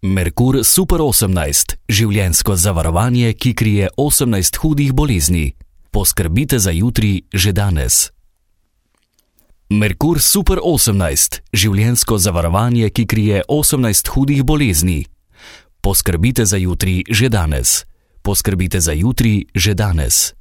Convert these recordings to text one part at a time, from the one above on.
Merkur Super 18, življenjsko zavarovanje, ki krije 18 hudih bolezni. Poskrbite za jutri že danes. Merkur Super 18, življenjsko zavarovanje, ki krije 18 hudih bolezni. Poskrbite za jutri že danes. Poskrbite za jutri že danes.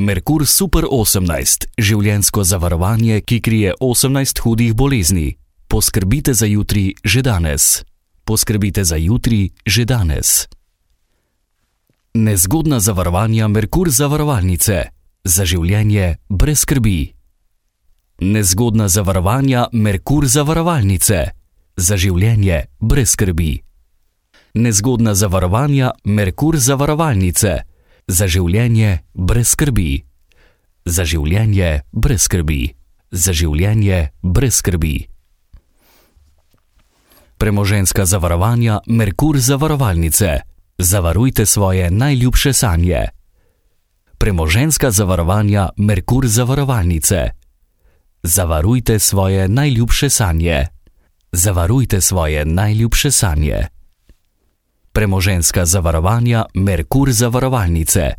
Merkur Super 18, življenjsko zavarovanje, ki krije 18 hudih bolezni. Poskrbite za jutri že danes. Poskrbite za jutri že danes. Nezgodna zavarovanja Merkur zavarovalnice. Za življenje brez skrbi. Nezgodna zavarovanja Merkur zavarovalnice. Za življenje brez skrbi. Nezgodna zavarovanja Merkur zavarovalnice. Za življenje brez skrbi. Za življenje brez skrbi. Za življenje brez skrbi. Premoženjska zavarovanja Merkur zavarovalnice. Zavarujte svoje najljubše sanje. Premoženjska zavarovanja Merkur zavarovalnice. Zavarujte svoje najljubše sanje. Zavarujte svoje najljubše sanje. Premoženjska zavarovanja Merkur zavarovalnice.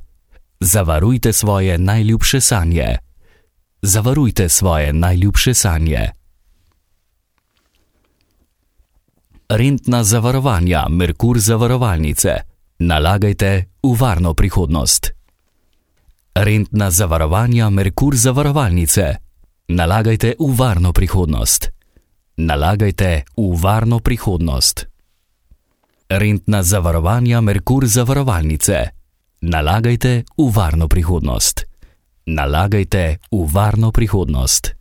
Zavarujte svoje najljubše sanje. Zavarujte svoje najljubše sanje. Rentna zavarovanja Merkur zavarovalnice. Nalagajte v varno prihodnost. Rentna zavarovanja Merkur zavarovalnice. Nalagajte v varno prihodnost. Nalagajte v varno prihodnost. Rentna zavarovanja Merkur zavarovalnice. Nalagajte v varno prihodnost. Nalagajte v varno prihodnost.